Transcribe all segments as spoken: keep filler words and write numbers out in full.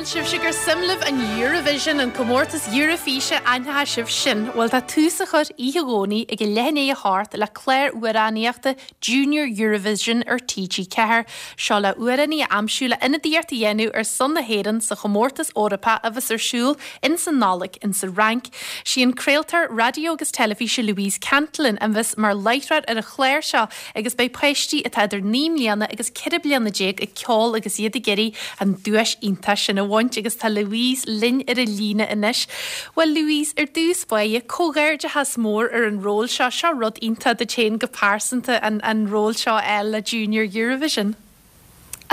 Bhuel, sibhse gur suim libh an Eurovision an comórtas Eoraifíse aithneoidh sibh sin, bhuel tá tús á chur oíche Dhomhnaigh ag a leath i ndiaidh a hocht le clár amhránaíochta Junior Eurovision ar TG Ceathair. Seo le hamhránaí a aimsiú le ionadaíocht a dhéanamh ar son na hÉireann sa chomórtas Eorpach a bheas ar siúl in san Nollaig in sa Fhrainc. Sí an craoltóir raidió agus teilifíse Louise Cantillon a bheas mar láithreoir ar an chlár seo agus beidh páistí atá idir naoi mbliana agus ceithre bliana déag ag ceol agus iad ag iarraidh an duais iontach sin a bhaint agus tá Louise linn ar an líne anois. Well Louise ar dtús báire comhghairdeachas mór ar an ról seo seo rud iontach duit féin go pearsanta an, an ról seo le Junior Eurovision.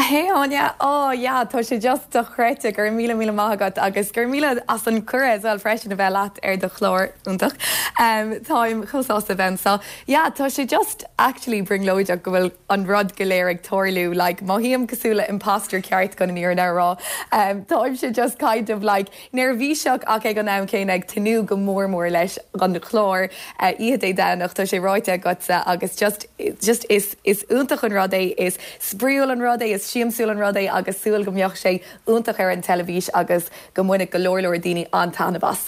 Hey Áine oh yeah tá sé just dochreidte gur míle míle maith agat agus gur míle as an cuireadh as well freisin a bheith leat ar do chlár iontach. Um, Táim chomh sásta bheith so yeah tá sé just actually brionglóideach go bhfuil an rud go léir ag tarlú like mothaím cosúil le imposter ceart chun an fhírinne a rá. Um, Táim sé just kind of like neirbhíseach ach ag an am céanna ag tnúth go mór mór leis an chlár uh, oíche Dé Domhnaigh tá sé ráite agatsa agus just just is is iontach an rud é is spraíúil an rud é is siamsúil an rud é agus súil go mbeadh sé iontach ar an teilifís agus go mbainfidh go leor leor daoine an-taitneamh as.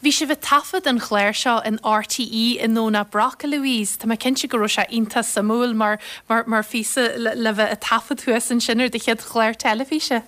Bhí sibh ag taifead an chláir seo in RTE i nDomhnach Broc Louise, Tá mé cinnte go raibh sé iontach suimiúil mar mar mar phíosa le, le bheith ag taifead thuas ansin ar do chéad chlár teilifíse.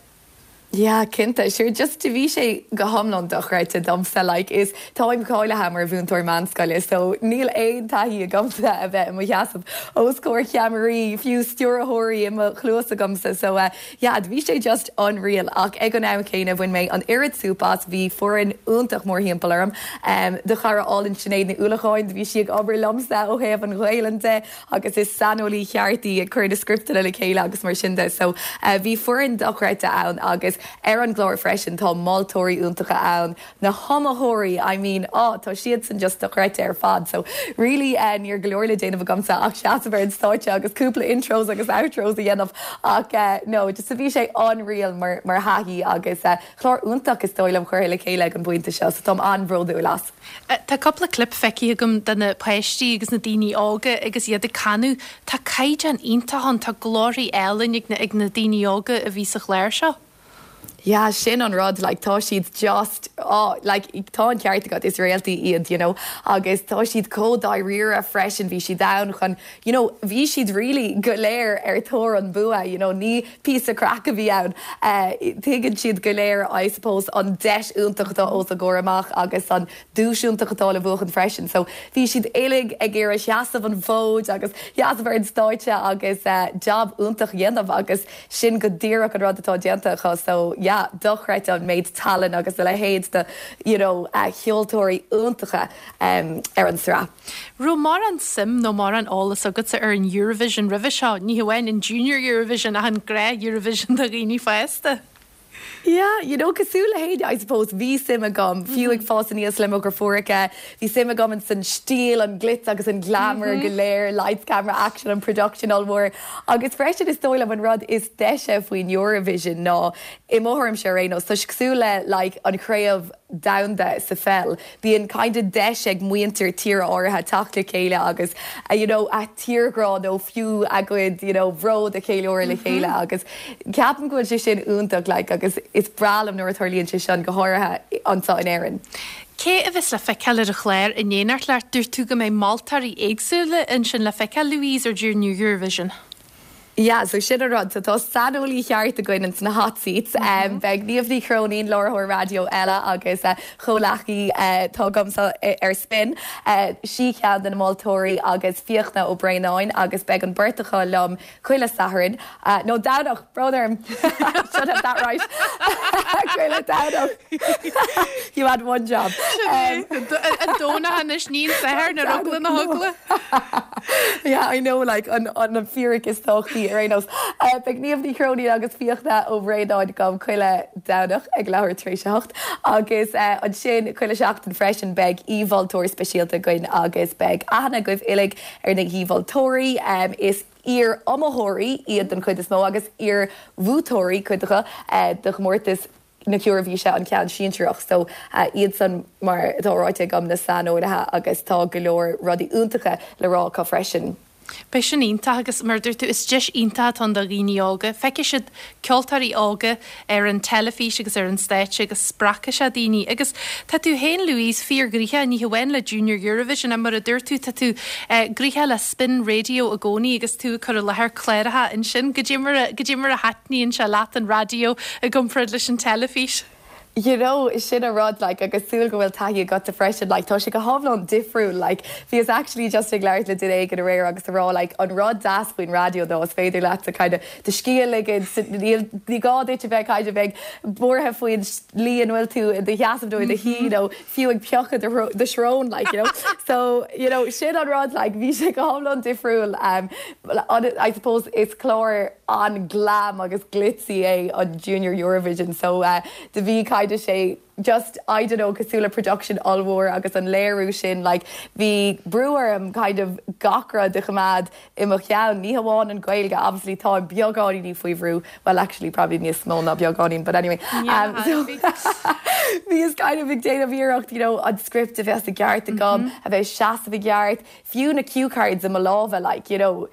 Yeah, cinnte sure just bhí sé go hiomlán dochreidte domsa like is táim cáilithe mar mhúinteoir meánscoile so níl aon taithí agamsa a bheith i mo sheasamh os comhair ceamaraí fiú stiúrthóirí i mo chluas agamsa so uh, yeah, bhí sé just unreal ach ag an am céanna bhain mé an oiread súp as bhí foireann iontach mórthimpeall orm um, do chara álainn Sinéad Ní Uallacháin bhí sí ag obair liomsa ó thaobh an Ghaelainn de agus is saineolaí ceart í ag cur na scripteanna le chéile agus mar sin de so uh, bhí foireann dochreidte ann agus ar an gclár freisin tá moltóirí iontacha ann na hiomaitheoirí I mean oh, tá siad san just dochreidte ar fad so really uh, níor go leor le déanamh agamsa ach seasamh ar an stáitse agus cúpla intros agus outros a dhéanamh ach uh, no just a bhí sé unreal mar mar thaithí agus uh, chlár iontach is dóigh liom curtha le chéile an pointe seo so táim an-bhródúil as. Tá cúpla clip feicthe agam de na páistí agus na daoine óga agus iad ag canadh Tá caighdeán iontach ann tá glórtha álainn ag na, ag na daoine óga a bhí sa chlár seo. Yeah, sin an rud like tá siad just oh, like tá an ceart agat is réaltaí iad you know agus tá siad chomh dáiríre freisin bhí siad ann chun you know bhí siad really go léir ar thóir an bua you know ní píosa craic a bhí ann uh, tuigeann siad go léir I suppose an deis iontach atá os a gcomhair amach agus an duais iontach atá le buachan freisin so bhí siad uilig ag iarraidh seasamh an fód agus seasamh ar an stáitse agus uh, job iontach a dhéanamh agus sin go díreach an rud atá déanta acu so yeah dochreidte an méid tallann agus a leithéid de you know uh, cheoltóirí iontacha um, ar an sraith. Raibh mórán suim nó mórán eolas agatsa ar an Eurovision roimhe seo, ní hamháin an Junior Eurovision ach an gnáth Eurovision do dhaoine fásta. Yeah, you know cosúil le héinne I suppose bhí suim agam fiú ag fás aníos le mo dheirfiúracha bhí suim agam in san stíl an glitz agus an glamour go léir lights camera action an production ollmhór agus freisin is dóigh liom an rud is deise faoin Eurovision ná i mo thuairimse ar aon nós tá cosúil le like an chraobh domhanda sa pheil. Bíonn kind of deis ag muintir tíre áirithe teacht le chéile agus uh, you know, a tírghrá nó fiú a gcuid you know, bród a cheiliúradh le chéile agus ceapaim go bhfuil sé sin iontach like, agus is breá liom nuair a tharlaíonn sé sin go háirithe anseo in Éirinn. Cé a bheas le feiceáil ar an chlár in éineacht leat dúirt tú go mbeidh moltóirí éagsúla ansin le feiceáil Louise ar Junior Eurovision. Yeah, so sin an rud so tá saineolaí ceart againn sna hot seats. Mm -hmm. um, Beidh Niamh Ní Chróinín láithreoir raidió eile agus uh, comhghleacaí uh, tá agamsa ar Spin. Uh, sí ceann de na moltóirí agus Fiachna Ó Braonáin agus beidh an bheirt acu liom chuile Satharn. Uh, no Domhnach brón orm should have that right. Chuile Domhnach. you had one job. Um, an Domhnach anois ní Satharn na rugla na hugla. yeah, I know like an an an fíric is tábhachtaí ar aon nós. Uh, Beidh Niamh Ní Chróinín agus Fiachna Ó Braonáin agam chuile Domhnach ag leathuair tar éis a hocht agus uh, ansin chuile seachtain freisin beidh aoimholtóir speisialta againn agus beidh aithne agaibh uilig ar na haoimholtóirí um, is iar-iomaitheoirí iad den chuid is mó agus iar-bhuaiteoirí cuid acu uh, de chomórtas na hEoraifíse an ceann sinsearach so uh, iad san mar atá ráite agam na saineolaithe agus tá go leor rudaí iontacha le rá acu freisin. Beidh sin iontach agus mar dúirt tú is deis iontach atá ann do dhaoine óga. Feicfidh siad ceoltóirí óga ar an teilifís agus ar an stáitse agus spreagfaidh sé daoine. Agus tá tú féin Louise fíorghnoitheach ní hamháin le Junior Eurovision mar a dúirt tú tá tú eh, gnoitheach le Spin Radio i gcónaí agus tú ag cur i láthair cláracha ansin go dtí go dtí mar a thaitníonn sé leat an raidió i gcomparáid leis an teilifís. You know sin an rud like agus súil go bhfuil taithí agat freisin like tá sé go hiomlán difriúil like bhíos actually just ag labhairt le duine éigin aréir agus a rá like an rud deas faoin raidió dó is féidir leat a kind of do scíth a ligean ní gá duit a bheith kind of ag buartha faoin slí an bhfuil tú i do sheasamh nó i do shuí nó fiú ag piocadh do shrón like you know so you know sin an rud like bhí sé go hiomlán difriúil um, I suppose is clár an-glam agus glitzy é an Junior Eurovision so uh, do bhí kind of sé just I don't know cosúil le production ollmhór agus an léiriú sin like bhí brú orm kind of gach rud a choimeád i mo cheann ní hamháin an Ghaeilge obviously tá beagáinín faoi bhrú well actually probably níos mó ná beagáinín but anyway um, so bhíos kind of ag déanamh iarracht you know an script a bheith i gceart agam mm -hmm. a bheith seasamh i gceart fiú na cue cards i mo lámha like you know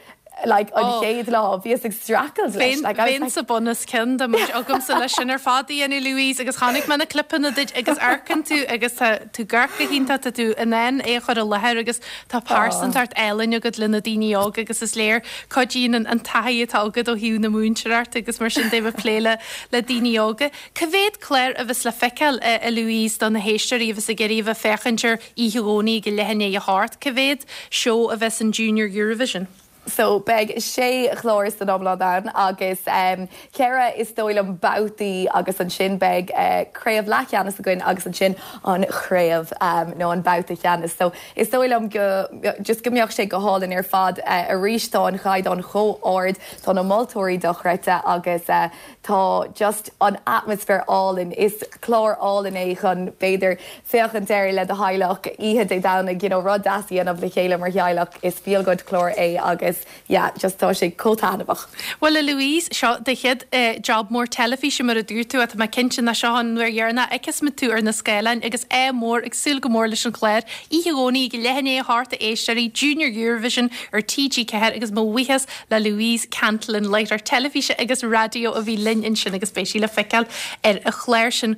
like an oh. chéad lá bhíos ag streachailt Bhí sa bonnas cin de agamsa leis sin ar fad Anna Louise agus chonaic mé na clipeanna duit agus amharcann tú agus tú garcha hínta tú in ann é chur i láthair agus tá pearsantacht álainn agat le na daoine óga agus is léir cuidíonn an taithí atá agat ó thaobh na múinteoireachta agus mar sin déh plé le le daoine óga. Cá mhéad clár a bheas le feiceáil a Louise do na héisteoirí agus a géiríh a féchanir íthegóí go lehanné a háart cá mhéad seó a bheas in Junior Eurovision. So beidh sé chlár san iomlán ann agus um, ceithre is dóigh liom babhtaí agus ansin beidh uh, craobh leathcheannais againn agus ansin an chraobh um, nó an babhta ceannais. So is dóigh liom go just go mbeadh sé go hálainn ar fad uh, arís tá an caighdeán chomh hard tá na moltóirí dochreidte agus uh, tá just an atmaisféar álainn is clár álainn é chun b'fhéidir féachaint air le do theaghlach oíche Dé Domhnaigh you know, rud deas a dhéanamh le chéile mar theaghlach is feel good clár é agus yeah, just tá sé chomh taitneamhach. Well a Louise seo do chéad uh, job mór teilifíse mar a dúirt tú atá cinnte na seo an uair dheireanach a fheicfidh tú ar na scáileáin agus é mór ag súil go mór leis an chlár. Oíche Dhomhnaigh go leath i ndiaidh a hocht a éisteoirí Junior Eurovision ar TG Ceathair agus mo bhuíochas le Louise Cantlin láithreoir teilifíse agus raidió a bhí linn ansin agus beidh sí le feiceáil ar an chlár sin.